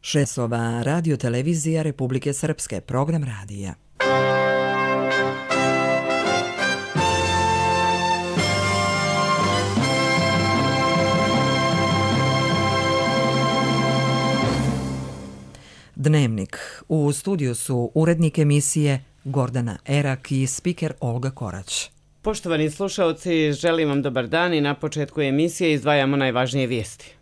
Šesova radio televizija Republike Srpske, program radija. Dnevnik. U studiju su urednik emisije Gordana Erak i spiker Olga Korać. Poštovani slušalci, želim vam dobar dan i na početku emisije izdvajamo najvažnije vijesti.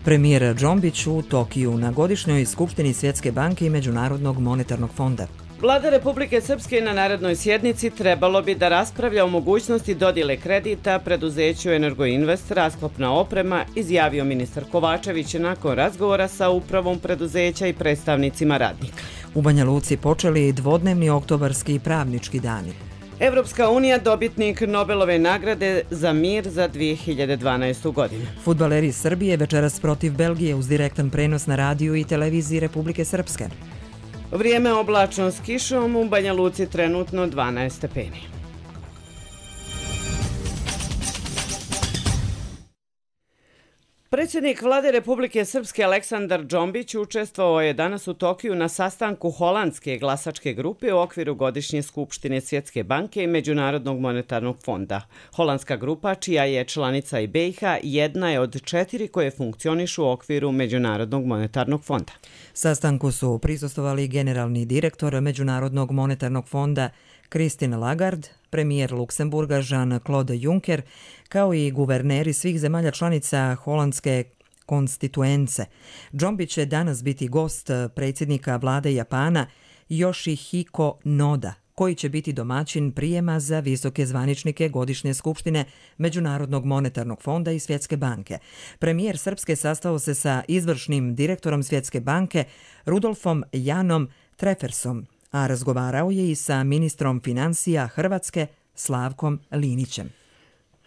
Premijer Džombić u Tokiju na godišnjoj skupštini Svjetske banke i Međunarodnog monetarnog fonda. Vlada Republike Srpske na narednoj sjednici trebalo bi da raspravlja o mogućnosti dodjele kredita preduzeću Energoinvest rasklopna oprema, izjavio ministar Kovačević nakon razgovora sa upravom preduzeća i predstavnicima radnika. U Banja Luci počeli dvodnevni oktobarski pravnički dani. Evropska unija dobitnik Nobelove nagrade za mir za 2012. godinu. Fudbaleri Srbije večeras protiv Belgije uz direktan prenos na radiju i televiziji Republike Srpske. Vrijeme oblačno s kišom, u Banja Luci trenutno 12 stepeni. Predsjednik Vlade Republike Srpske Aleksandar Džombić učestvovao je danas u Tokiju na sastanku holandske glasačke grupe u okviru godišnje skupštine Svjetske banke i Međunarodnog monetarnog fonda. Holandska grupa, čija je članica i BiH, jedna je od 4 koje funkcionišu u okviru Međunarodnog monetarnog fonda. Sastanku su prisustvovali generalni direktor Međunarodnog monetarnog fonda Christine Lagarde, premijer Luksemburga Jean-Claude Juncker, kao i guverneri svih zemalja članica holandske konstituence. Džombić će danas biti gost predsjednika vlade Japana Yoshihiko Noda, koji će biti domaćin prijema za visoke zvaničnike godišnje skupštine Međunarodnog monetarnog fonda i Svjetske banke. Premijer Srpske sastao se sa izvršnim direktorom Svjetske banke Rudolfom Janom Treffersom, a razgovarao je i sa ministrom financija Hrvatske Slavkom Linićem.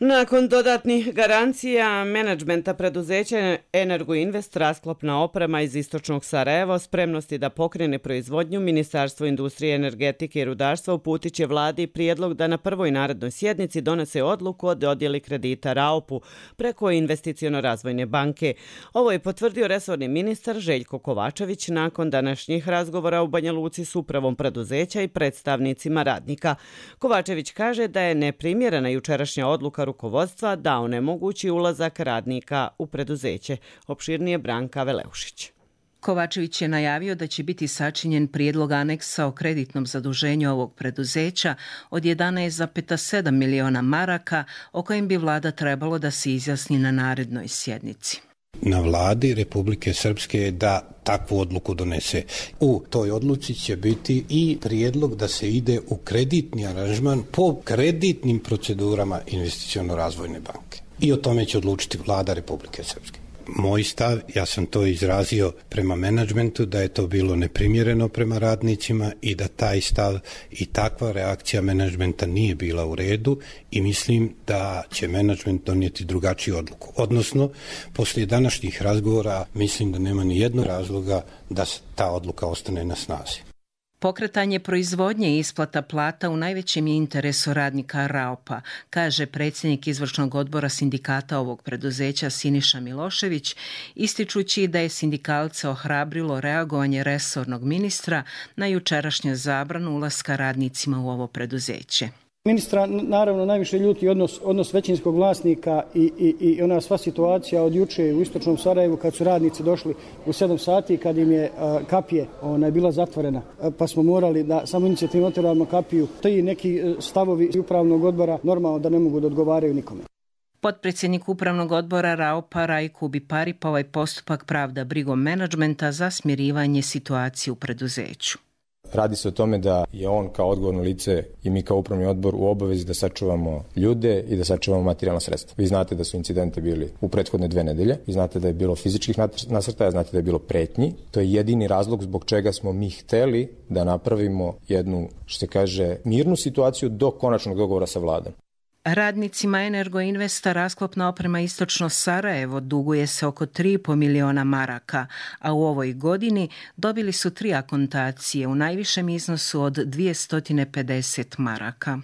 Nakon dodatnih garancija menadžmenta preduzeća Energoinvest rasklopna oprema iz istočnog Sarajeva spremnosti da pokrene proizvodnju, Ministarstvo industrije, energetike i rudarstva uputit će vladi prijedlog da na prvoj narednoj sjednici donese odluku o dodjeli kredita RAOP-u preko Investiciono-razvojne banke. Ovo je potvrdio resorni ministar Željko Kovačević nakon današnjih razgovora u Banja Luci s upravom preduzeća i predstavnicima radnika. Kovačević kaže da je neprimjerena jučerašnja odluka rukovodstva da onemogući ulazak radnika u preduzeće. Opširnije Branka Veleušić. Kovačević je najavio da će biti sačinjen prijedlog aneksa o kreditnom zaduženju ovog preduzeća od 11,7 miliona maraka, o kojem bi vlada trebalo da se izjasni na narednoj sjednici. Na vladi Republike Srpske je da takvu odluku donese. U toj odluci će biti i prijedlog da se ide u kreditni aranžman po kreditnim procedurama Investiciono-razvojne banke. I o tome će odlučiti vlada Republike Srpske. Moj stav, ja sam to izrazio prema menadžmentu, da je to bilo neprimjereno prema radnicima i da taj stav i takva reakcija menadžmenta nije bila u redu i mislim da će menadžment donijeti drugačiju odluku. Odnosno, poslije današnjih razgovora mislim da nema ni jednog razloga da ta odluka ostane na snazi. Pokretanje proizvodnje i isplata plata u najvećem je interesu radnika RAOP-a, kaže predsjednik izvršnog odbora sindikata ovog preduzeća Siniša Milošević, ističući da je sindikalce ohrabrilo reagovanje resornog ministra na jučerašnju zabranu ulaska radnicima u ovo preduzeće. Ministra naravno najviše ljuti odnos većinskog vlasnika i ona sva situacija od juče u istočnom Sarajevu kad su radnici došli u 7 sati kad im je kapije bila zatvorena, pa smo morali da samo inicijativno otvorimo kapiju. Ti neki stavovi upravnog odbora normalno da ne mogu da odgovaraju nikome. Potpredsjednik upravnog odbora RAOP-a Rajko Bipari pa ovaj postupak pravda brigom menadžmenta za smirivanje situacije u preduzeću. Radi se o tome da je on kao odgovorno lice i mi kao upravni odbor u obavezi da sačuvamo ljude i da sačuvamo materijalna sredstva. Vi znate da su incidente bili u prethodne 2 nedelje, vi znate da je bilo fizičkih nasrtaja, znate da je bilo pretnji. To je jedini razlog zbog čega smo mi hteli da napravimo jednu, što se kaže, mirnu situaciju do konačnog dogovora sa vladom. Radnicima Energoinvesta rasklopna oprema Istočno Sarajevo duguje se oko 3,5 miliona maraka, a u ovoj godini dobili su 3 akontacije u najvišem iznosu od 250 maraka.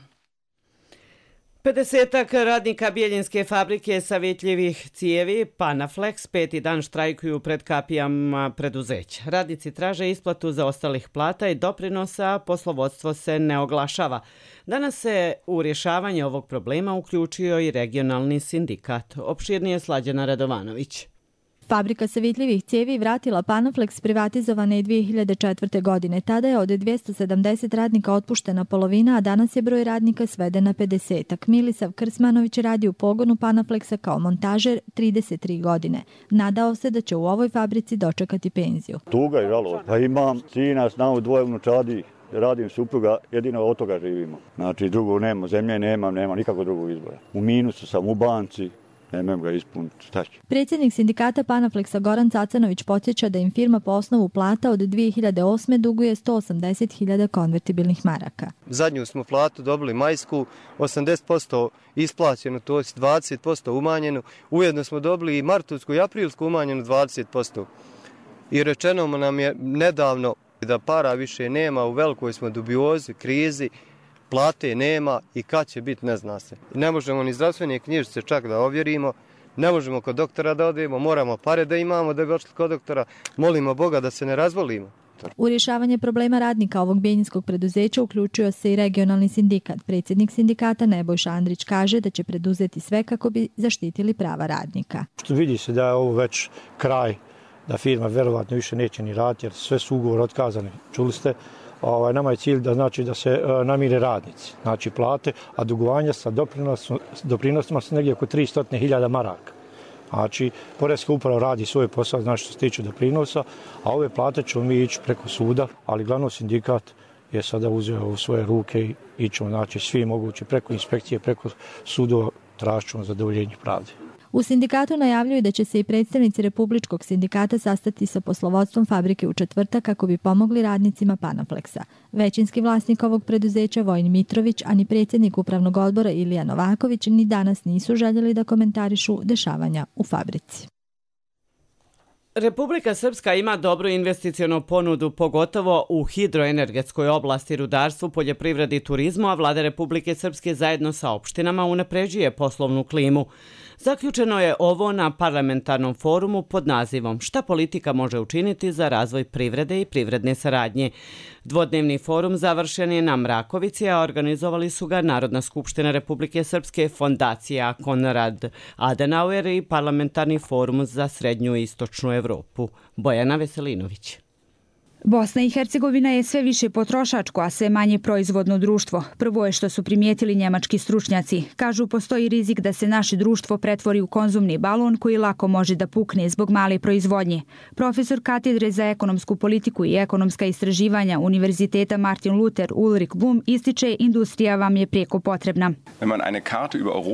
50-ak radnika Bijeljinske fabrike savjetljivih cijevi Panaflex 5. dan štrajkuju pred kapijama preduzeća. Radnici traže isplatu zaostalih plata i doprinosa, a poslovodstvo se ne oglašava. Danas se u rješavanje ovog problema uključio i regionalni sindikat. Opširnije Slađana Radovanović. Fabrika savjetljivih cijevi vratila Panaflex privatizovana je 2004. godine. Tada je od 270 radnika otpuštena polovina, a danas je broj radnika sveden na 50-ak. Milisav Krsmanović radi u pogonu Panaflexa kao montažer 33 godine. Nadao se da će u ovoj fabrici dočekati penziju. Tuga je žalo. Pa imam sina, snavu, dvoje unučadi, radim supruga, jedino od toga živimo. Znači drugo nema, zemlje nema nikakvog drugog izbora. U minusu sam, u banci. Nemam ga ispuniti, šta će. Predsjednik sindikata Panaflexa Goran Cacanović podsjeća da im firma po osnovu plata od 2008. duguje 180.000 konvertibilnih maraka. Zadnju smo platu dobili majsku, 80% isplaćenu, to je 20% umanjenu. Ujedno smo dobili i martovsku i aprilsku umanjenu 20%. I rečeno nam je nedavno da para više nema, u velikoj smo dubiozi, krizi. Plate nema i kad će biti ne zna se. Ne možemo ni zdravstvene knjižice čak da ovjerimo, ne možemo kod doktora da odemo, moramo pare da imamo da bi odšli kod doktora, molimo Boga da se ne razvolimo. U rješavanje problema radnika ovog bijeljinskog preduzeća uključio se i regionalni sindikat. Predsjednik sindikata Nebojša Andrić kaže da će preduzeti sve kako bi zaštitili prava radnika. Što vidi se da je ovo već kraj, da firma verovatno više neće ni raditi jer sve su ugovor otkazani. Čuli ste? Nama je cilj da se namire radnici, znači plate, a dugovanja sa doprinosima su negdje oko 300.000 maraka. Znači, Poreska uprava radi svoj posao, znači što se tiče doprinosa, a ove plate ćemo mi ići preko suda, ali glavno sindikat je sada uzeo u svoje ruke i ićemo, znači svi mogući preko inspekcije, preko sudova tražimo zadovoljenje pravde. U sindikatu najavljuju da će se i predstavnici Republičkog sindikata sastati sa poslovodstvom fabrike u četvrtak kako bi pomogli radnicima Panaflexa. Većinski vlasnik ovog preduzeća Vojin Mitrović, a ni predsjednik upravnog odbora Ilija Novaković ni danas nisu željeli da komentarišu dešavanja u fabrici. Republika Srpska ima dobru investicionu ponudu, pogotovo u hidroenergetskoj oblasti, rudarstvu, poljoprivredi i turizmu, a vlada Republike Srpske zajedno sa opštinama unapređuje poslovnu klimu. Zaključeno je ovo na parlamentarnom forumu pod nazivom Šta politika može učiniti za razvoj privrede i privredne saradnje. Dvodnevni forum završen je na Mrakovici, a organizovali su ga Narodna skupština Republike Srpske, Fondacija Konrad Adenauer i Parlamentarni forum za srednju i istočnu Evropu. Bojana Veselinović. Bosna i Hercegovina je sve više potrošačko, a sve manje proizvodno društvo. Prvo je što su primijetili njemački stručnjaci. Kažu, postoji rizik da se naše društvo pretvori u konzumni balon koji lako može da pukne zbog male proizvodnje. Profesor katedre za ekonomsku politiku i ekonomska istraživanja Univerziteta Martin Luther Ulrich Blum ističe, industrija vam je prijeko potrebna.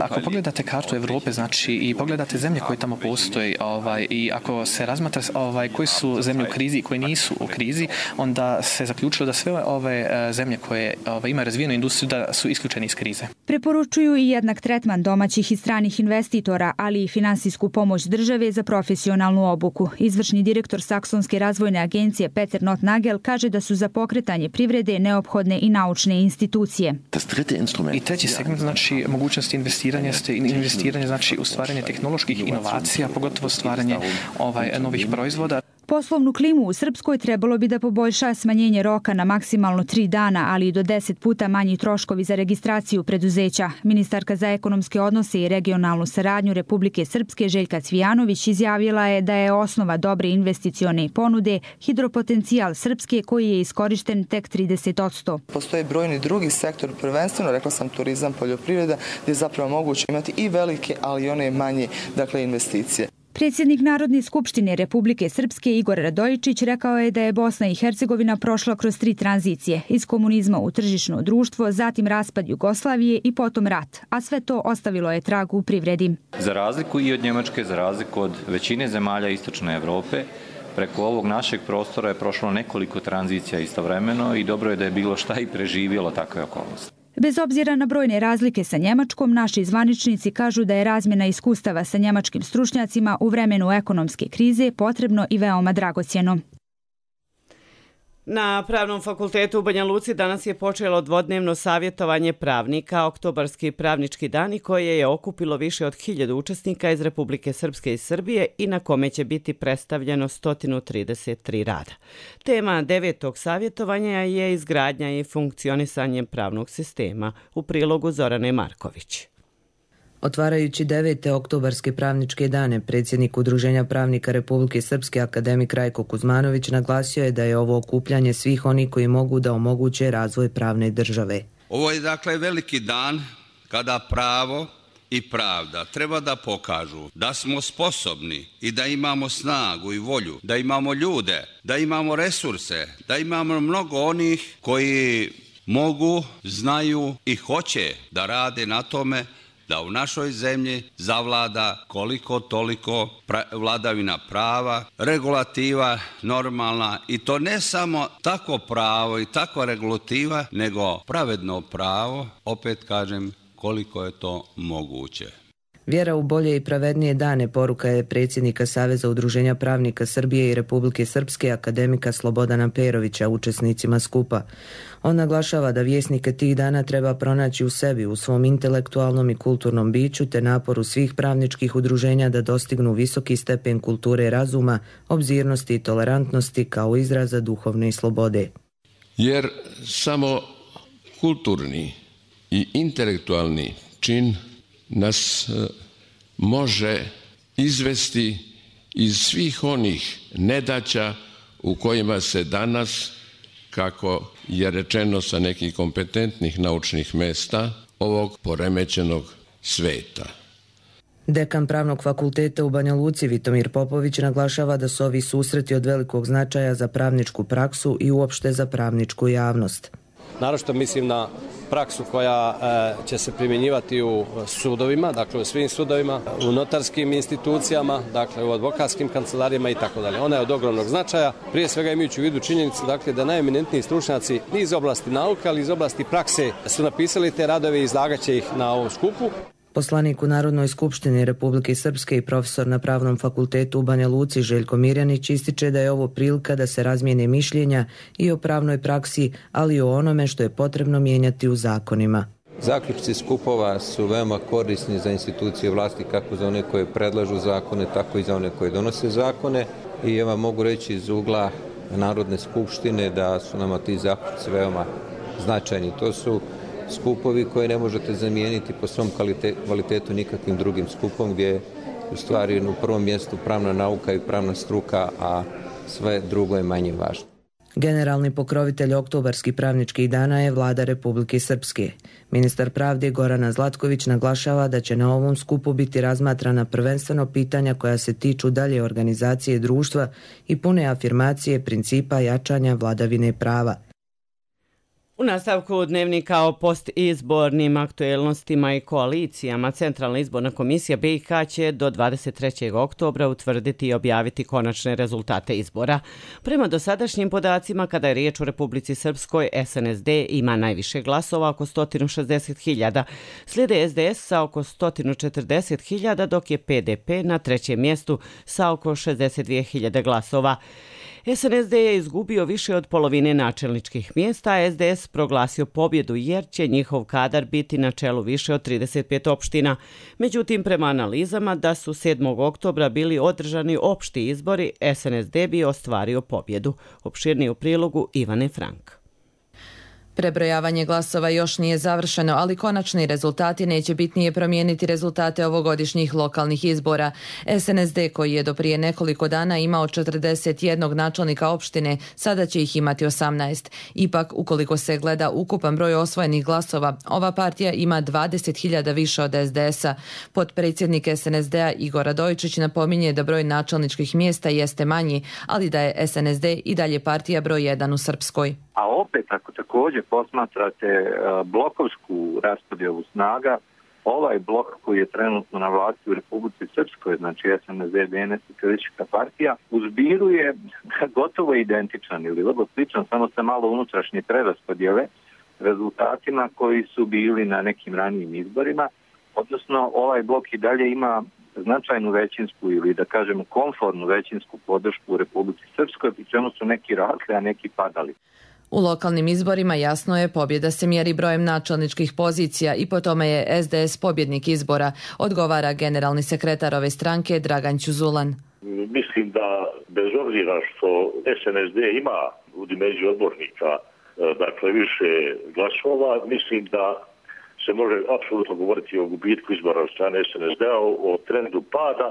Ako pogledate kartu Evrope, znači i pogledate zemlje koje tamo postoje, i ako se razmatra koji su zemlje u krizi i koje nisu u krizi, onda se zaključilo da sve ove zemlje koje imaju razvijenu industriju da su isključeni iz krize. Preporučuju i jednak tretman domaćih i stranih investitora, ali i finansijsku pomoć države za profesionalnu obuku. Izvršni direktor Saksonske razvojne agencije Peter Notnagel kaže da su za pokretanje privrede neophodne i naučne institucije. I treći segment, znači mogućnost investiranja, znači u stvaranje tehnoloških inovacija, pogotovo stvaranje novih proizvoda. Poslovnu klimu u Srpskoj trebalo bi da poboljša smanjenje roka na maksimalno 3 dana, ali i do 10 puta manji troškovi za registraciju preduzeća. Ministarka za ekonomske odnose i regionalnu saradnju Republike Srpske Željka Cvijanović izjavila je da je osnova dobre investicione ponude hidropotencijal Srpske koji je iskorišten tek 30%. Postoje brojni drugi sektor, prvenstveno, rekla sam, turizam, poljoprivreda, gdje je zapravo moguće imati i velike, ali i one manje, investicije. Predsjednik Narodne skupštine Republike Srpske Igor Radojičić rekao je da je Bosna i Hercegovina prošla kroz 3 tranzicije, iz komunizma u tržišno društvo, zatim raspad Jugoslavije i potom rat, a sve to ostavilo je trag u privredi. Za razliku i od Njemačke, za razliku od većine zemalja istočne Evrope, preko ovog našeg prostora je prošlo nekoliko tranzicija istovremeno i dobro je da je bilo šta i preživjelo takve okolnosti. Bez obzira na brojne razlike sa Njemačkom, naši zvaničnici kažu da je razmjena iskustava sa njemačkim stručnjacima u vremenu ekonomske krize potrebno i veoma dragocjeno. Na Pravnom fakultetu u Banja Luci danas je počelo dvodnevno savjetovanje pravnika, Oktobarski pravnički dani, koje je okupilo više od 1000 učesnika iz Republike Srpske i Srbije i na kome će biti predstavljeno 133 rada. Tema 9. savjetovanja je izgradnja i funkcionisanje pravnog sistema, u prilogu Zorane Marković. Otvarajući 9. oktobarske pravničke dane, predsjednik Udruženja pravnika Republike Srpske akademik Rajko Kuzmanović naglasio je da je ovo okupljanje svih onih koji mogu da omoguće razvoj pravne države. Ovo je dakle veliki dan kada pravo i pravda treba da pokažu da smo sposobni i da imamo snagu i volju, da imamo ljude, da imamo resurse, da imamo mnogo onih koji mogu, znaju i hoće da rade na tome da u našoj zemlji zavlada koliko toliko vladavina prava, regulativa normalna i to ne samo tako pravo i takva regulativa, nego pravedno pravo, opet kažem koliko je to moguće. Vjera u bolje i pravednije dane poruka je predsjednika Saveza udruženja pravnika Srbije i Republike Srpske akademika Slobodana Perovića učesnicima skupa. On naglašava da vjesnike tih dana treba pronaći u sebi, u svom intelektualnom i kulturnom biću te naporu svih pravničkih udruženja da dostignu visoki stepen kulture razuma, obzirnosti i tolerantnosti kao izraza duhovne slobode. Jer samo kulturni i intelektualni čin nas može izvesti iz svih onih nedaća u kojima se danas, kako je rečeno sa nekih kompetentnih naučnih mesta, ovog poremećenog sveta. Dekan Pravnog fakulteta u Banja Luci Vitomir Popović naglašava da su ovi susreti od velikog značaja za pravničku praksu i uopšte za pravničku javnost. Naročito mislim na praksu koja će se primjenjivati u sudovima, dakle u svim sudovima, u notarskim institucijama, dakle u advokatskim kancelarijama i tako dalje. Ona je od ogromnog značaja, prije svega imajući u vidu činjenicu dakle, da najeminentniji stručnjaci iz oblasti nauke, ali iz oblasti prakse su napisali te radove i izlagaće ih na ovom skupu. Poslanik u Narodnoj skupštini Republike Srpske i profesor na Pravnom fakultetu u Banja Luci Željko Mirjanić ističe da je ovo prilika da se razmijene mišljenja i o pravnoj praksi, ali i o onome što je potrebno mijenjati u zakonima. Zaključci skupova su veoma korisni za institucije vlasti, kako za one koje predlažu zakone, tako i za one koje donose zakone. I ja vam mogu reći iz ugla Narodne skupštine da su nama ti zaključci veoma značajni. To su skupovi koje ne možete zamijeniti po svom kvalitetu nikakvim drugim skupom, gdje je u stvari u prvom mjestu pravna nauka i pravna struka, a sve drugo je manje važno. Generalni pokrovitelj oktobarskih pravničkih dana je Vlada Republike Srpske. Ministar pravde Gorana Zlatković naglašava da će na ovom skupu biti razmatrana prvenstveno pitanja koja se tiču dalje organizacije društva i pune afirmacije principa jačanja vladavine prava. U nastavku dnevnika o postizbornim aktuelnostima i koalicijama, Centralna izborna komisija BiH će do 23. oktobra utvrditi i objaviti konačne rezultate izbora. Prema dosadašnjim podacima, kada je riječ o Republici Srpskoj, SNSD ima najviše glasova, oko 160.000. Slijede SDS sa oko 140.000, dok je PDP na trećem mjestu sa oko 62.000 glasova. SNSD je izgubio više od polovine načelničkih mjesta, a SDS proglasio pobjedu jer će njihov kadar biti na čelu više od 35 opština. Međutim, prema analizama da su 7. oktobra bili održani opšti izbori, SNSD bi ostvario pobjedu. Opširnije u prilogu Ivane Frank. Prebrojavanje glasova još nije završeno, ali konačni rezultati neće bitnije promijeniti rezultate ovogodišnjih lokalnih izbora. SNSD, koji je do prije nekoliko dana imao 41 načelnika opštine, sada će ih imati 18. Ipak, ukoliko se gleda ukupan broj osvojenih glasova, ova partija ima 20.000 više od SDS-a. Potpredsjednik SNSD-a Igor Radojičić napominje da broj načelničkih mjesta jeste manji, ali da je SNSD i dalje partija broj 1 u Srpskoj. A opet, ako također posmatrate blokovsku raspodjelu snaga, ovaj blok koji je trenutno na vlasti u Republici Srpskoj, znači SNSD, DNS i Kršćanska partija, u zbiru je gotovo identičan ili vrlo sličan, samo sa malo unutrašnje preraspodjele rezultatima koji su bili na nekim ranijim izborima. Odnosno, ovaj blok i dalje ima značajnu većinsku ili da kažemo konformnu većinsku podršku u Republici Srpskoj, pri čemu su neki rasli, a neki padali. U lokalnim izborima jasno je pobjeda se mjeri brojem načelničkih pozicija i po tome je SDS pobjednik izbora, odgovara generalni sekretar ove stranke Dragan Ćuzulan. Mislim da bez obzira što SNSD ima u dimenziji odbornika dakle više glasova, mislim da se može apsolutno govoriti o gubitku izbora od strane SNSD-a, o trendu pada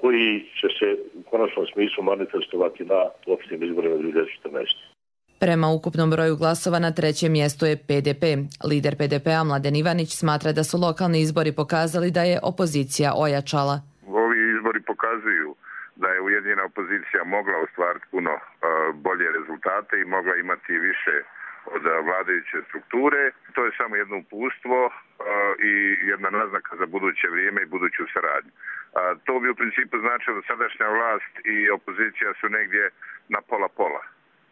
koji će se u konačnom smislu manifestovati na općim izborima 2014. Prema ukupnom broju glasova na trećem mjestu je PDP. Lider PDP-a Mladen Ivanić smatra da su lokalni izbori pokazali da je opozicija ojačala. Ovi izbori pokazuju da je ujedinjena opozicija mogla ostvariti puno bolje rezultate i mogla imati više od vladajuće strukture. To je samo jedno uputstvo i jedna naznaka za buduće vrijeme i buduću saradnju. To bi u principu značilo da sadašnja vlast i opozicija su negdje na pola-pola.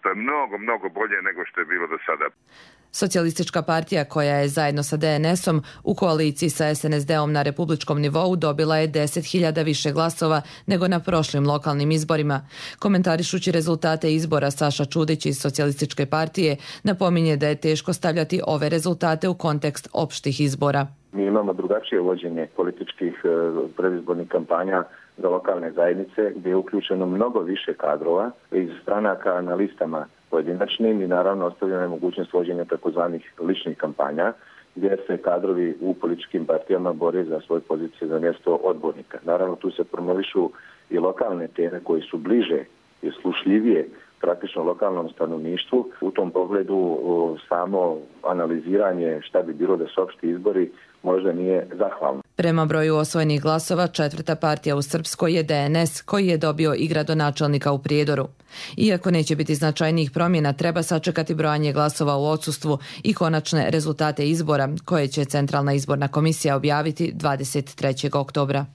To je mnogo bolje nego što je bilo do sada. Socijalistička partija koja je zajedno sa DNS-om u koaliciji sa SNSD-om na republičkom nivou dobila je 10.000 više glasova nego na prošlim lokalnim izborima. Komentarišući rezultate izbora, Saša Čudić iz Socijalističke partije napominje da je teško stavljati ove rezultate u kontekst opštih izbora. Mi imamo drugačije vođenje političkih predizbornih kampanja za lokalne zajednice gdje je uključeno mnogo više kadrova iz stranaka na listama pojedinačnim i naravno ostavljena je mogućnost vođenja takozvanih ličnih kampanja gdje se kadrovi u političkim partijama bore za svoje pozicije za mjesto odbornika. Naravno tu se promovišu i lokalne teme koji su bliže i slušljivije praktično lokalnom stanovništvu. U tom pogledu samo analiziranje šta bi bilo da su opšti izbori možda nije zahvalno. Prema broju osvojenih glasova, četvrta partija u Srpskoj je DNS, koji je dobio i gradonačelnika u Prijedoru. Iako neće biti značajnijih promjena, treba sačekati brojanje glasova u odsustvu i konačne rezultate izbora, koje će Centralna izborna komisija objaviti 23. oktobra.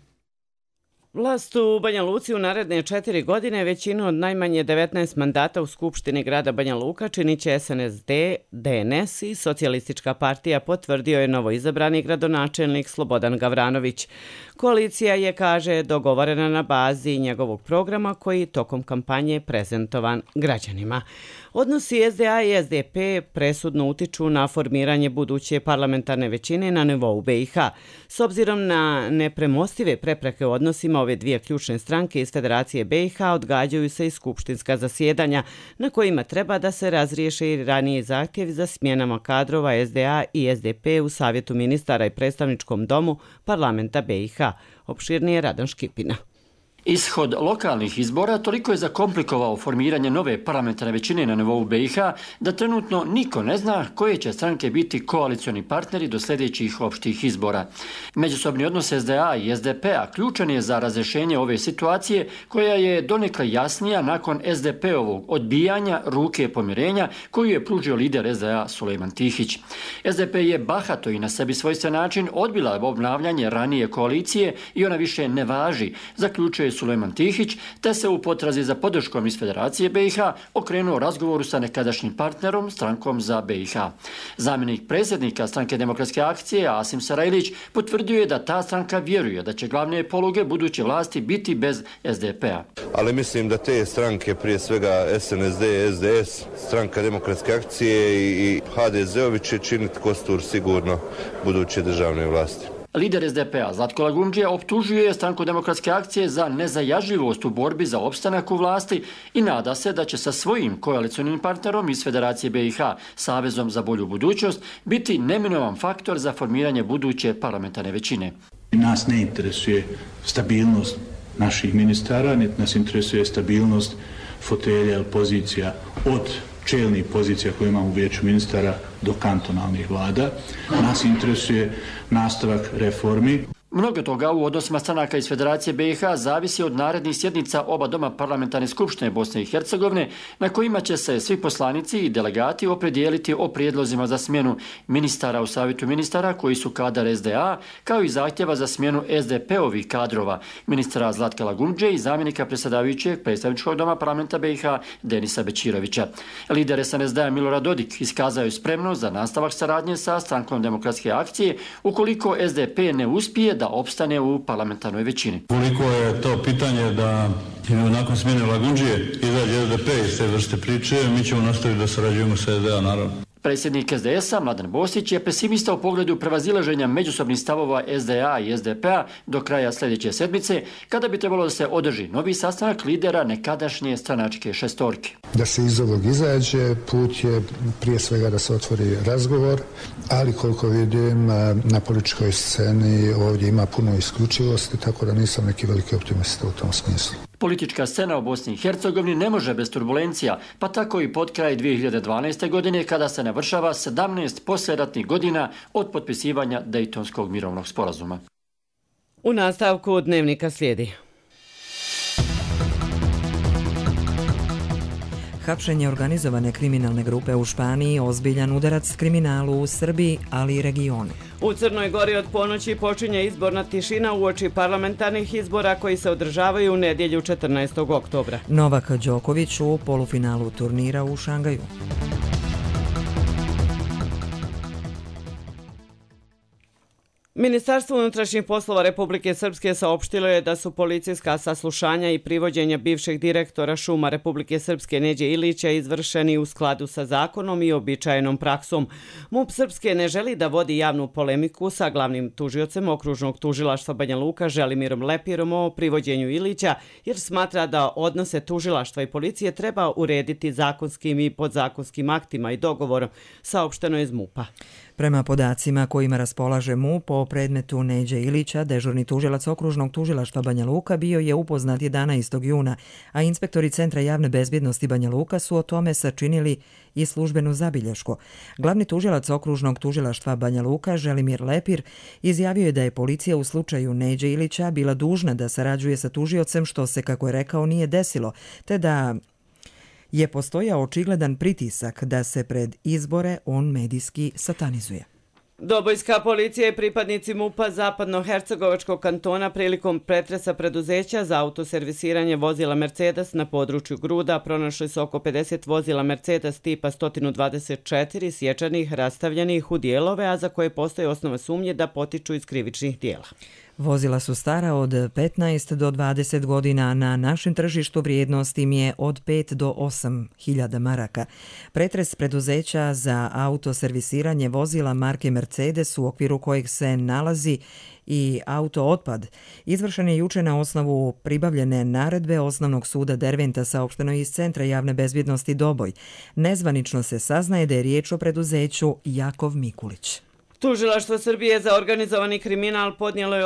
Vlast u Banja Luci u naredne 4 godine većinu od najmanje 19 mandata u Skupštini grada Banja Luka činit će SNSD, DNS i Socijalistička partija, potvrdio je novoizabrani gradonačelnik Slobodan Gavranović. Koalicija je, kaže, dogovorena na bazi njegovog programa koji tokom kampanje prezentovan građanima. Odnosi SDA i SDP presudno utiču na formiranje buduće parlamentarne većine na nivou BiH. S obzirom na nepremostive prepreke u odnosima ove dvije ključne stranke iz Federacije BiH odgađaju se i skupštinska zasjedanja na kojima treba da se razriješe i ranije zahtjevi za smjenama kadrova SDA i SDP u Savjetu ministara i predstavničkom domu parlamenta BiH. Opširnije Radan Škipina. Ishod lokalnih izbora toliko je zakomplikovao formiranje nove parlamentarne većine na nivou BiH da trenutno niko ne zna koje će stranke biti koalicioni partneri do sljedećih opštih izbora. Međusobni odnos SDA i SDP-a ključan je za razrješenje ove situacije koja je donekle jasnija nakon SDP-ovog odbijanja ruke pomirenja koju je pružio lider SDA Sulejman Tihić. SDP je bahato i na sebi svojstven način odbila obnavljanje ranije koalicije i ona više ne važi, zaključuje Sulejman Tihić, te se u potrazi za podrškom iz Federacije BiH okrenuo razgovoru sa nekadašnjim partnerom, strankom za BiH. Zamjenik predsjednika stranke Demokratske akcije, Asim Sarajlić, potvrdio je da ta stranka vjeruje da će glavne poluge buduće vlasti biti bez SDP-a. Ali mislim da te stranke, prije svega SNSD, SDS, stranka Demokratske akcije i HDZ-ovi će činiti kostur sigurno buduće državne vlasti. Lider SDP-a Zlatko Lagundžija optužuje stranku Demokratske akcije za nezajažljivost u borbi za opstanak u vlasti i nada se da će sa svojim koalicionim partnerom iz Federacije BiH, Savezom za bolju budućnost, biti neminovan faktor za formiranje buduće parlamentarne većine. Nas ne interesuje stabilnost naših ministara, niti nas interesuje stabilnost fotelja ili pozicija od čelnih pozicija koje imamo u vijeću ministara do kantonalnih vlada. Nas interesuje nastavak reformi. Mnogo toga u odnosima stranaka iz Federacije BiH zavisi od narednih sjednica oba doma parlamentarne skupštine Bosne i Hercegovine, na kojima će se svi poslanici i delegati opredijeliti o prijedlozima za smjenu ministara u Savjetu ministara koji su kadar SDA, kao i zahtjeva za smjenu SDP-ovih kadrova, ministra Zlatka Lagundže i zamjenika predsjedavajućeg predstavničkog doma parlamenta BiH Denisa Bećirovića. Lider SNSD-a Milorad Dodik iskazao je spremnost za nastavak saradnje sa strankom Demokratske akcije ukoliko SDP ne uspije da da opstane u parlamentarnoj većini. Koliko je to pitanje da nakon smjene Lagundžije izađe SDP iz te vrste priče, mi ćemo nastaviti da sarađujemo sa SDA, naravno. Predsjednik SDS-a Mladen Bosić je pesimista u pogledu prevazilaženja međusobnih stavova SDA i SDP-a do kraja sljedeće sedmice, kada bi trebalo da se održi novi sastanak lidera nekadašnje stranačke šestorke. Da se iz ovog izađe, put je prije svega da se otvori razgovor, ali koliko vidim na političkoj sceni ovdje ima puno isključivosti, tako da nisam neki veliki optimista u tom smislu. Politička scena u Bosni i Hercegovini ne može bez turbulencija, pa tako i pod kraj 2012. godine kada se navršava 17 poslijeratnih godina od potpisivanja Dejtonskog mirovnog sporazuma. U nastavku dnevnika slijedi. Hapšenje organizovane kriminalne grupe u Španiji ozbiljan udarac kriminalu u Srbiji, ali i regionu. U Crnoj Gori od ponoći počinje izborna tišina uoči parlamentarnih izbora koji se održavaju u nedjelju 14. oktobra. Novak Đoković u polufinalu turnira u Šangaju. Ministarstvo unutrašnjih poslova Republike Srpske saopštilo je da su policijska saslušanja i privođenja bivšeg direktora šuma Republike Srpske Neđe Ilića izvršeni u skladu sa zakonom i običajenom praksom. MUP Srpske ne želi da vodi javnu polemiku sa glavnim tužiocem okružnog tužilaštva Banja Luka Želimirom Lepirom o privođenju Ilića, jer smatra da odnose tužilaštva i policije treba urediti zakonskim i podzakonskim aktima i dogovorom, saopšteno je iz MUP-a. Prema podacima kojima raspolaže MUP o predmetu Neđe Ilića, dežurni tužilac okružnog tužilaštva Banja Luka bio je upoznat 11. juna, a inspektori Centra javne bezbjednosti Banja Luka su o tome sačinili i službenu zabilješku. Glavni tužilac okružnog tužilaštva Banja Luka, Želimir Lepir, izjavio je da je policija u slučaju Neđe Ilića bila dužna da sarađuje sa tužiocem, što se, kako je rekao, nije desilo, te da je postojao očigledan pritisak da se pred izbore on medijski satanizuje. Dobojska policija i pripadnici MUP-a Zapadno-Hercegovačkog kantona prilikom pretresa preduzeća za autoservisiranje vozila Mercedes na području Gruda pronašli su oko 50 vozila Mercedes tipa 124 sječanih, rastavljenih u dijelove, a za koje postoje osnova sumnje da potiču iz krivičnih dijela. Vozila su stara od 15 do 20 godina, na našem tržištu vrijednost im je od 5 do 8 hiljada maraka. Pretres preduzeća za autoservisiranje vozila marke Mercedes, u okviru kojeg se nalazi i autootpad, izvršen je juče na osnovu pribavljene naredbe Osnovnog suda Derventa, saopšteno iz Centra javne bezbjednosti Doboj. Nezvanično se saznaje da je riječ o preduzeću Jakov Mikulić. Tužilaštvo Srbije za organizovani kriminal podnijelo je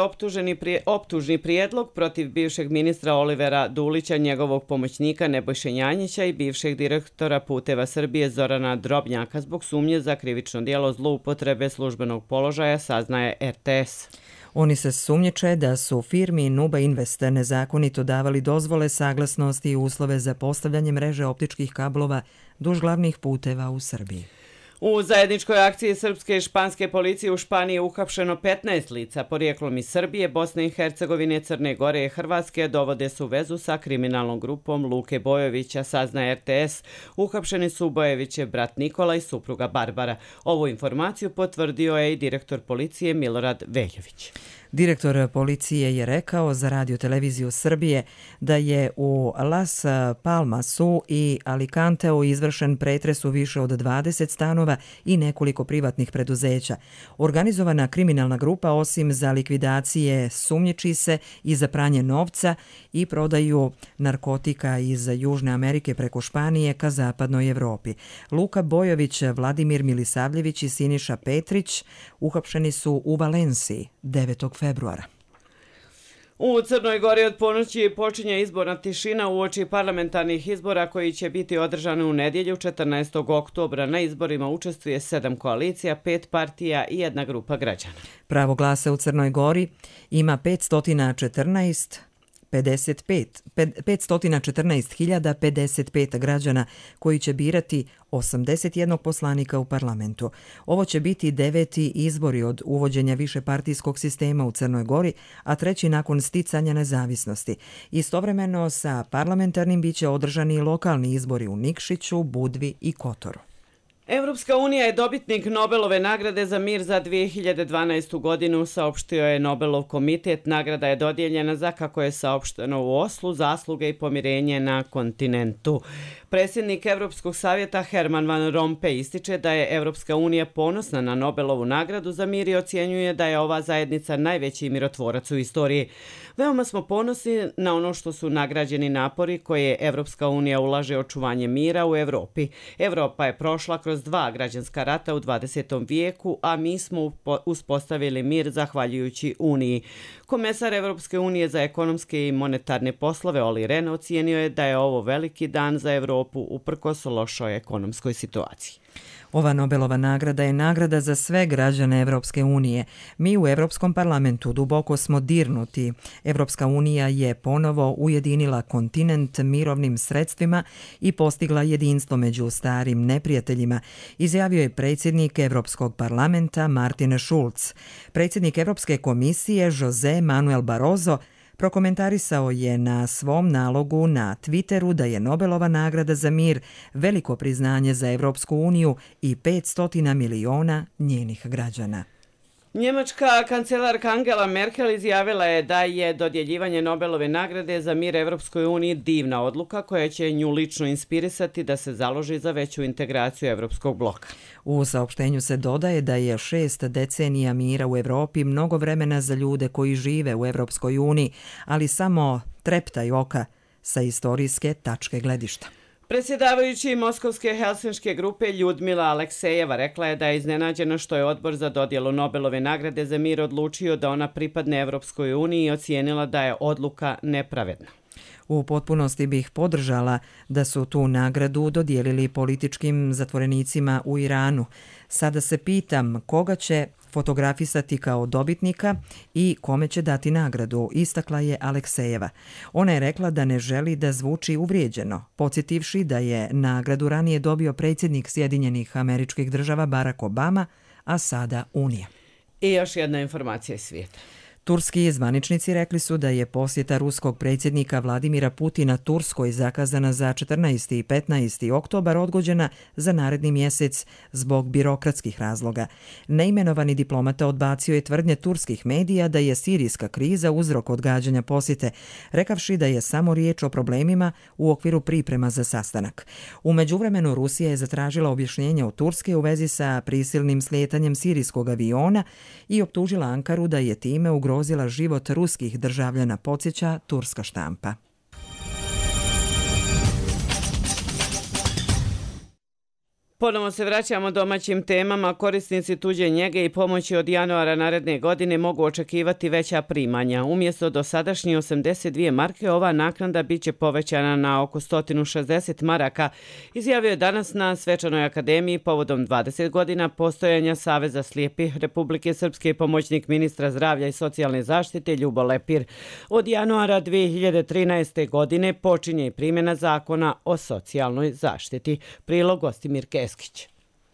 optužni prijedlog protiv bivšeg ministra Olivera Dulića, njegovog pomoćnika Nebojše Janjića i bivšeg direktora Puteva Srbije Zorana Drobnjaka zbog sumnje za krivično djelo zloupotrebe službenog položaja, saznaje RTS. Oni se sumnjiče da su firmi Nuba Invest nezakonito davali dozvole, saglasnosti i uslove za postavljanje mreže optičkih kablova duž glavnih puteva u Srbiji. U zajedničkoj akciji srpske i španske policije u Španiji je uhapšeno 15 lica porijeklom iz Srbije, Bosne i Hercegovine, Crne Gore i Hrvatske, dovode se u vezu sa kriminalnom grupom Luke Bojovića, saznaje RTS. Uhapšeni su Bojovićev brat Nikola i supruga Barbara. Ovu informaciju potvrdio je i direktor policije Milorad Veljović. Direktor policije je rekao za Radio televiziju Srbije da je u Las Palmasu i Alicanteu izvršen pretres u više od 20 stanova i nekoliko privatnih preduzeća. Organizovana kriminalna grupa osim za likvidacije sumnjiči se i za pranje novca i prodaju narkotika iz Južne Amerike preko Španije ka zapadnoj Evropi. Luka Bojović, Vladimir Milisavljević i Siniša Petrić uhapšeni su u Valenciji 9. februara. U Crnoj Gori od ponoći počinje izborna tišina uoči parlamentarnih izbora koji će biti održani u nedjelju 14. oktobra. Na izborima učestvuje 7 koalicija, 5 partija i 1 grupa građana. Pravo glasa u Crnoj Gori ima 514.055 građana koji će birati 81 poslanika u parlamentu. Ovo će biti 9. izbori od uvođenja višepartijskog sistema u Crnoj Gori, a 3. nakon sticanja nezavisnosti. Istovremeno sa parlamentarnim biće održani lokalni izbori u Nikšiću, Budvi i Kotoru. Evropska unija je dobitnik Nobelove nagrade za mir za 2012. godinu, saopštio je Nobelov komitet. Nagrada je dodijeljena za, kako je saopšteno u Oslu, zasluge i pomirenje na kontinentu. Predsjednik Evropskog savjeta Herman Van Rompuy ističe da je Evropska unija ponosna na Nobelovu nagradu za mir i ocjenjuje da je ova zajednica najveći mirotvorac u istoriji. Veoma smo ponosni na ono što su nagrađeni napori koje Evropska unija ulaže očuvanje mira u Evropi. Evropa je prošla kroz 2 građanska rata u 20. vijeku, a mi smo uspostavili mir zahvaljujući Uniji. Komesar Evropske unije za ekonomske i monetarne poslove Olli Rehn ocijenio je da je ovo veliki dan za Evropu uprkos lošoj ekonomskoj situaciji. Ova Nobelova nagrada je nagrada za sve građane Evropske unije. Mi u Evropskom parlamentu duboko smo dirnuti. Evropska unija je ponovo ujedinila kontinent mirovnim sredstvima i postigla jedinstvo među starim neprijateljima, izjavio je predsjednik Evropskog parlamenta Martin Schulz. Predsjednik Evropske komisije José Manuel Barroso prokomentarisao je na svom nalogu na Twitteru da je Nobelova nagrada za mir veliko priznanje za Evropsku uniju i 500 miliona njenih građana. Njemačka kancelarka Angela Merkel izjavila je da je dodjeljivanje Nobelove nagrade za mir Evropskoj uniji divna odluka koja će nju lično inspirisati da se založi za veću integraciju Evropskog bloka. U saopštenju se dodaje da je 6 decenija mira u Evropi mnogo vremena za ljude koji žive u Evropskoj uniji, ali samo treptaj oka sa istorijske tačke gledišta. Predsjedavajući Moskovske helsinške grupe Ljudmila Aleksejeva rekla je da je iznenađena što je odbor za dodjelu Nobelove nagrade za mir odlučio da ona pripadne Evropskoj uniji i ocijenila da je odluka nepravedna. U potpunosti bih podržala da su tu nagradu dodijelili političkim zatvorenicima u Iranu. Sada se pitam koga će fotografisati kao dobitnika i kome će dati nagradu, istakla je Aleksejeva. Ona je rekla da ne želi da zvuči uvrijeđeno, podsjetivši da je nagradu ranije dobio predsjednik Sjedinjenih Američkih Država Barack Obama, a sada Unija. I još jedna informacija iz svijeta. Turski zvaničnici rekli su da je posjeta ruskog predsjednika Vladimira Putina Turskoj zakazana za 14. i 15. oktobar odgođena za naredni mjesec zbog birokratskih razloga. Neimenovani diplomata odbacio je tvrdnje turskih medija da je sirijska kriza uzrok odgađanja posjete, rekavši da je samo riječ o problemima u okviru priprema za sastanak. U međuvremenu Rusija je zatražila objašnjenje od Turske u vezi sa prisilnim slijetanjem sirijskog aviona i optužila Ankaru da je time ugrozila život ruskih državljana, podsjeća turska štampa. Ponovo se vraćamo domaćim temama. Korisnici tuđe njege i pomoći od januara naredne godine mogu očekivati veća primanja. Umjesto dosadašnje 82 marke, ova naknada biće povećana na oko 160 maraka, izjavio je danas na Svečanoj akademiji povodom 20 godina postojanja Saveza slijepih Republike Srpske pomoćnik ministra zdravlja i socijalne zaštite Ljubo Lepir. Od januara 2013. godine počinje i primjena zakona o socijalnoj zaštiti. Prilog Gostimir Keskić.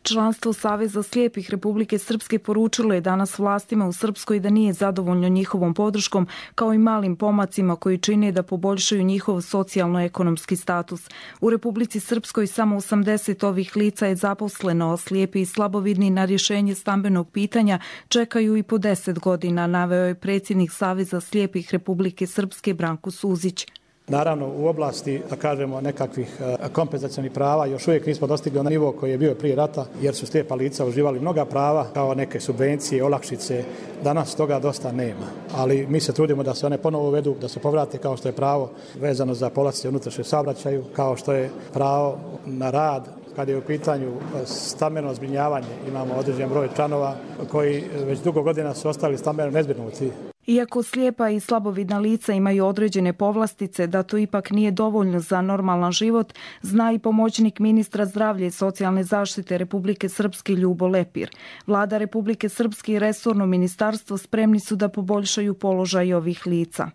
Članstvo Saveza slijepih Republike Srpske poručilo je danas vlastima u Srpskoj da nije zadovoljno njihovom podrškom kao i malim pomacima koji čine da poboljšaju njihov socijalno-ekonomski status. U Republici Srpskoj samo 80 ovih lica je zaposleno, a slijepi i slabovidni na rješenje stambenog pitanja čekaju i po 10 godina, naveo je predsjednik Saveza slijepih Republike Srpske Branko Suzić. Naravno, u oblasti, da kažemo, nekakvih kompenzacionih prava još uvijek nismo dostigli onaj nivo koji je bio prije rata, jer su slijepa lica uživali mnoga prava, kao neke subvencije, olakšice. Danas toga dosta nema, ali mi se trudimo da se one ponovo uvedu, da se povrate, kao što je pravo vezano za povlastice unutrašnjem saobraćaju, kao što je pravo na rad. Kad je u pitanju stambeno zbrinjavanje, imamo određen broj članova koji već dugo godina su ostali stambeno nezbrinuti. Iako slijepa i slabovidna lica imaju određene povlastice, da to ipak nije dovoljno za normalan život, zna i pomoćnik ministra zdravlja i socijalne zaštite Republike Srpske Ljubo Lepir. Vlada Republike Srpske i resorno ministarstvo spremni su da poboljšaju položaj ovih lica.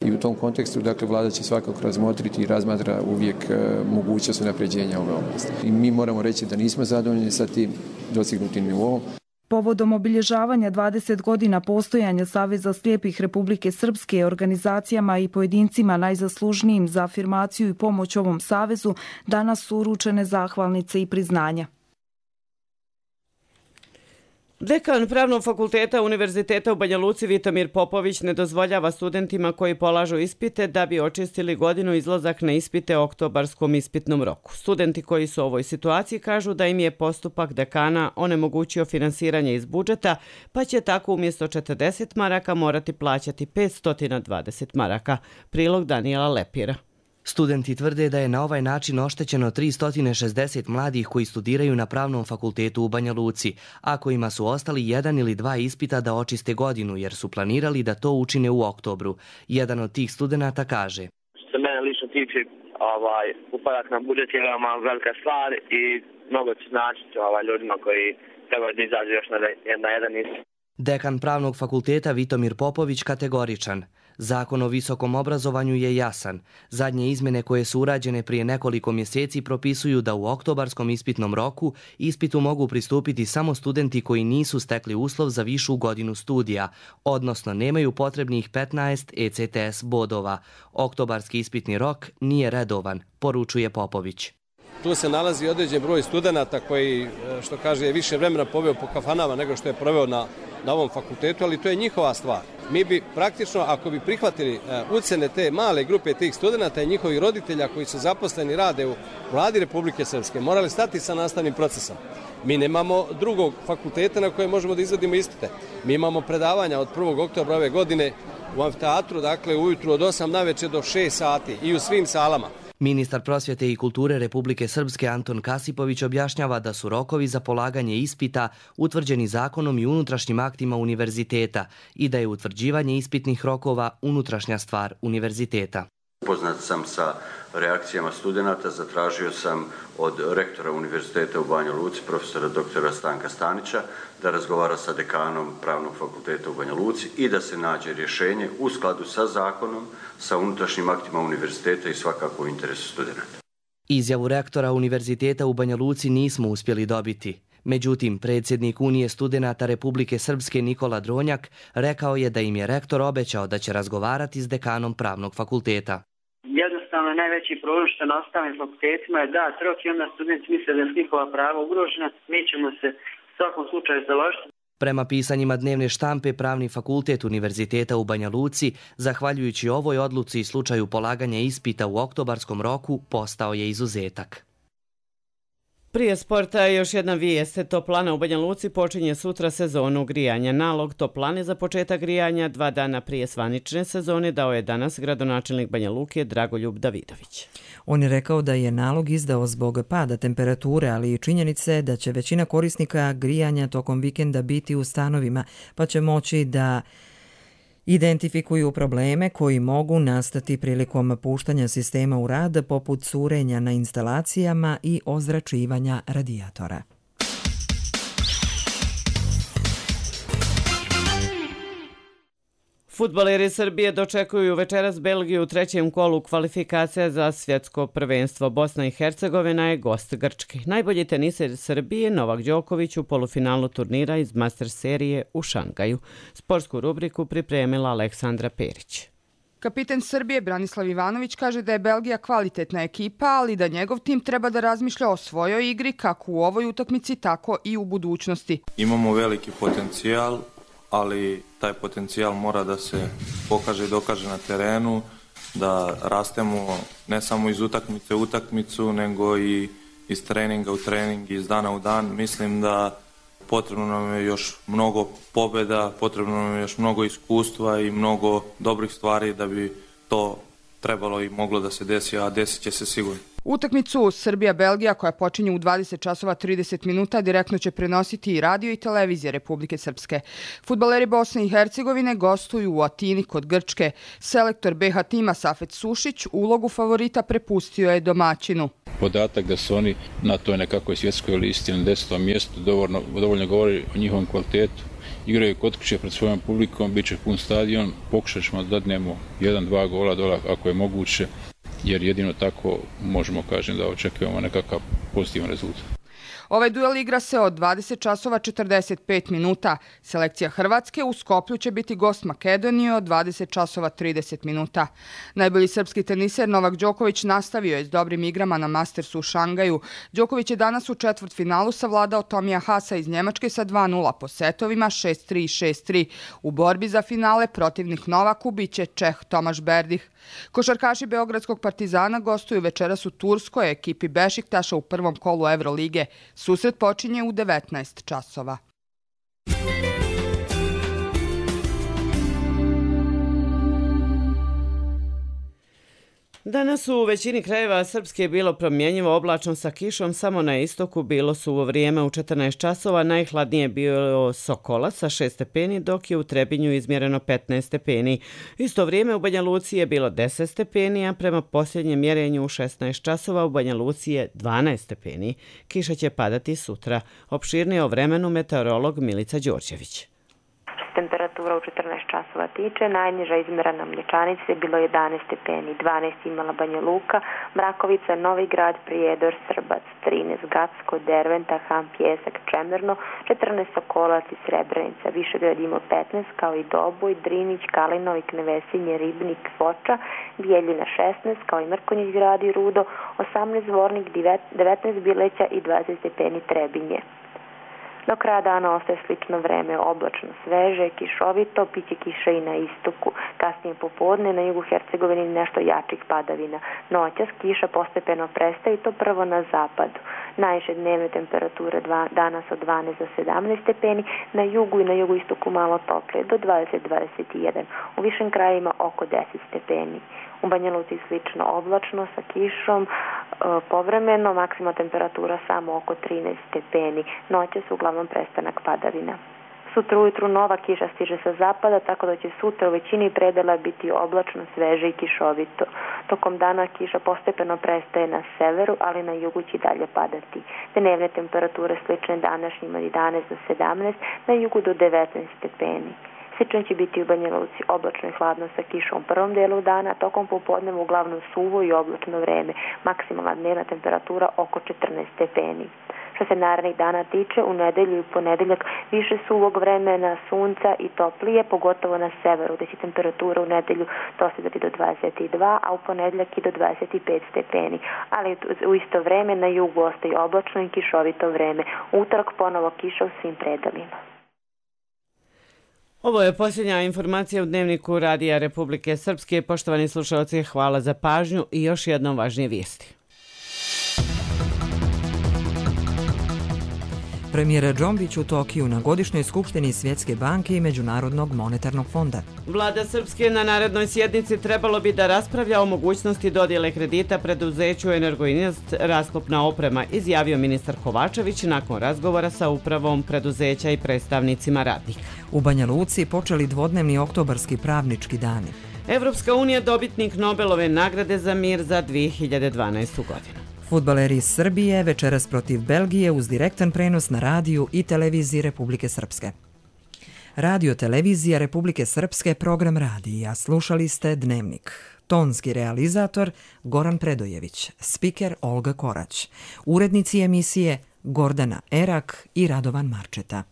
I u tom kontekstu, dakle, vlada će svakako razmotriti i razmatra uvijek mogućnost unapređenja ove oblasti. I mi moramo reći da nismo zadovoljni sa tim dostignutim nivoom. Povodom obilježavanja 20 godina postojanja Saveza slijepih Republike Srpske, organizacijama i pojedincima najzaslužnijim za afirmaciju i pomoć ovom savezu, danas su uručene zahvalnice i priznanja. Dekan Pravnog fakulteta Univerziteta u Banja Luci Vitomir Popović ne dozvoljava studentima koji polažu ispite da bi očistili godinu izlazak na ispite u oktobarskom ispitnom roku. Studenti koji su u ovoj situaciji kažu da im je postupak dekana onemogućio finansiranje iz budžeta, pa će tako umjesto 40 maraka morati plaćati 520 maraka. Prilog Danijela Lepira. Studenti tvrde da je na ovaj način oštećeno 360 mladih koji studiraju na Pravnom fakultetu u Banja Luci, a kojima su ostali jedan ili dva ispita da očiste godinu, jer su planirali da to učine u oktobru. Jedan od tih studenata kaže: Što se mene lično tiče, upadak na budžet je veoma velika stvar i mnogo će značiti ljudima koji trebaju da izađu još na jedan ispit. Dekan Pravnog fakulteta Vitomir Popović kategoričan. Zakon o visokom obrazovanju je jasan. Zadnje izmjene koje su urađene prije nekoliko mjeseci propisuju da u oktobarskom ispitnom roku ispitu mogu pristupiti samo studenti koji nisu stekli uslov za višu godinu studija, odnosno nemaju potrebnih 15 ECTS bodova. Oktobarski ispitni rok nije redovan, poručuje Popović. Tu se nalazi određen broj studenata koji, što kaže, je više vremena poveo po kafanama nego što je proveo na ovom fakultetu, ali to je njihova stvar. Mi bi praktično, ako bi prihvatili ucene te male grupe tih studenata i njihovih roditelja koji su zaposleni rade u Vladi Republike Srpske, morali stati sa nastavnim procesom. Mi nemamo drugog fakulteta na koje možemo da izvodimo ispite. Mi imamo predavanja od 1. oktobra ove godine u amfiteatru, dakle ujutru od 8 naveče do 6 sati i u svim salama. Ministar prosvjete i kulture Republike Srpske Anton Kasipović objašnjava da su rokovi za polaganje ispita utvrđeni zakonom i unutrašnjim aktima univerziteta i da je utvrđivanje ispitnih rokova unutrašnja stvar univerziteta. Upoznat sam sa reakcijama studenata, zatražio sam od rektora Univerziteta u Banja Luci, profesora doktora Stanka Stanića, da razgovara sa dekanom Pravnog fakulteta u Banja Luci i da se nađe rješenje u skladu sa zakonom, sa unutrašnjim aktima univerziteta i svakako u interesu studenata. Izjavu rektora Univerziteta u Banja Luci nismo uspjeli dobiti. Međutim, predsjednik Unije studenata Republike Srpske Nikola Dronjak rekao je da im je rektor obećao da će razgovarati s dekanom Pravnog fakulteta. Jednostavno, najveći problem što na ostalim fakultetima je dat rok i onda studenti misle da su njihova prava ugrožena. Mi ćemo se u svakom slučaju založiti. Prema pisanjima dnevne štampe, Pravni fakultet Univerziteta u Banja Luci, zahvaljujući ovoj odluci i slučaju polaganja ispita u oktobarskom roku, postao je izuzetak. Prije sporta još jedna vijest. Toplana u Banja Luci počinje sutra sezonu grijanja. Nalog toplane za početak grijanja 2 dana prije zvanične sezone dao je danas gradonačelnik Banja Luke Dragoljub Davidović. On je rekao da je nalog izdao zbog pada temperature, ali i činjenice da će većina korisnika grijanja tokom vikenda biti u stanovima, pa će moći da identifikuju probleme koji mogu nastati prilikom puštanja sistema u rad, poput curenja na instalacijama i ozračivanja radijatora. Fudbaleri Srbije dočekuju večeras Belgiju u 3. kolu kvalifikacija za svjetsko prvenstvo. Bosna i Hercegovina je gost Grčke. Najbolji teniser Srbije Novak Đoković u polufinalu turnira iz Master serije u Šangaju. Sportsku rubriku pripremila Aleksandra Perić. Kapiten Srbije Branislav Ivanović kaže da je Belgija kvalitetna ekipa, ali da njegov tim treba da razmišlja o svojoj igri kako u ovoj utakmici, tako i u budućnosti. Imamo veliki potencijal, ali taj potencijal mora da se pokaže i dokaže na terenu, da rastemo ne samo iz utakmice u utakmicu, nego i iz treninga u trening, iz dana u dan. Mislim da potrebno nam je još mnogo pobjeda, potrebno nam je još mnogo iskustva i mnogo dobrih stvari da bi to trebalo i moglo da se desi, a desit će se sigurno. Utakmicu Srbija-Belgija, koja počinje u 20 časova 30 minuta, direktno će prenositi i radio i televizija Republike Srpske. Fudbaleri Bosne i Hercegovine gostuju u Atini kod Grčke. Selektor BH tima Safet Sušić ulogu favorita prepustio je domaćinu. Podatak da su oni na toj nekakvoj svjetskoj listi na 10. mjestu dovoljno govori o njihovom kvalitetu. Igraju kod kuće pred svojom publikom, bit će pun stadion, pokušat ćemo da dadnemo 1-2 gola dola ako je moguće, jer jedino tako možemo, kažem, da očekujemo nekakav pozitivan rezultat. Ovaj duel igra se od 20 časova 45 minuta. Selekcija Hrvatske u Skoplju će biti gost Makedonije od 20 časova 30 minuta. Najbolji srpski teniser Novak Đoković nastavio je s dobrim igrama na Mastersu u Šangaju. Đoković je danas u četvrtfinalu savladao Tomija Hasa iz Njemačke sa 2:0 po setovima 6-3 i 6-3. U borbi za finale protivnik Novaku biće Čeh Tomaš Berdih. Košarkaši Beogradskog Partizana gostuju večeras u Turskoj ekipi Bešiktaša u prvom kolu Evrolige. Susret počinje u 19 časova. Danas u većini krajeva Srpske je bilo promjenjivo, oblačno sa kišom, samo na istoku bilo suvo vrijeme u 14 časova, najhladnije je bio Sokola sa 6 stepeni, dok je u Trebinju izmjereno 15 stepeni. Isto vrijeme u Banja Luci je bilo 10 stepeni, a prema posljednjem mjerenju u 16 časova u Banja Luci je 12 stepeni. Kiša će padati sutra. Opširnije o vremenu meteorolog Milica Đorđević. Temperatura u 14 časova tiče, najniža izmjerena Mlječanice je bilo 11 stepeni, 12 imala Banja Luka, Mrakovica, Novi Grad, Prijedor, Srbac, 13 Gacko, Derventa, Han, Pjesak, Čemerno, 14 Sokolac i Srebrenica, Višegrad imao 15 kao i Doboj, Drinić, Kalinovik, Nevesinje, Ribnik, Foča, Bijeljina 16 kao i Mrkonjić grad i Rudo, 18 Zvornik, 19 Bileća i 20 stepeni Trebinje. Do kraja dana ostaje slično vreme, oblačno, sveže, kišovito, piće kiša i na istoku. Kasnije popodne na jugu Hercegovine nešto jačih padavina. Noćas kiša postepeno prestaje i to prvo na zapadu. Najviše dnevne temperature danas od 12 do 17 stepeni, na jugu i na jugoistoku malo toplije, do 20-21. U višim krajima oko 10 stepeni. U Banja Luci slično oblačno sa kišom, povremeno maksimalna temperatura samo oko 13 stepeni. Noće su uglavnom prestanak padavina. Sutra ujutru nova kiša stiže sa zapada, tako da će sutra u većini predela biti oblačno, sveže i kišovito. Tokom dana kiša postepeno prestaje na severu, ali na jugu će dalje padati. Dnevne temperature slične današnjima od 11 do 17, na jugu do 19 stepeni. Slično će biti u Banja Luci, oblačno i hladno sa kišom u prvom delu dana, a tokom popodneva uglavnom suvo i oblačno vreme. Maksimalna dnevna temperatura oko 14 stepeni. Što se narednih dana tiče, u nedelju i ponedeljak više suvog vremena, sunca i toplije, pogotovo na severu, gdje će temperatura u nedelju dostizati do 22, a u ponedeljak i do 25 stepeni. Ali u isto vreme na jugu ostaje oblačno i kišovito vreme. Utorak ponovo kiša u svim predelima. Ovo je posljednja informacija u Dnevniku Radija Republike Srpske. Poštovani slušalci, hvala za pažnju i još jednom važnije vijesti. Premijer Džombić u Tokiju na godišnjoj skupštini Svjetske banke i Međunarodnog monetarnog fonda. Vlada Srpske na narednoj sjednici trebalo bi da raspravlja o mogućnosti dodjele kredita preduzeću Energoinvest Rasklopna oprema, izjavio ministar Kovačević nakon razgovora sa upravom preduzeća i predstavnicima radnika. U Banja Luci počeli dvodnevni oktobarski pravnički dani. Evropska unija dobitnik Nobelove nagrade za mir za 2012. godinu. Fudbaleri iz Srbije večeras protiv Belgije uz direktan prenos na radiju i televiziji Republike Srpske. Radio televizija Republike Srpske, program radija. Slušali ste Dnevnik. Tonski realizator Goran Predojević, spiker Olga Korać, urednici emisije Gordana Erak i Radovan Marčeta.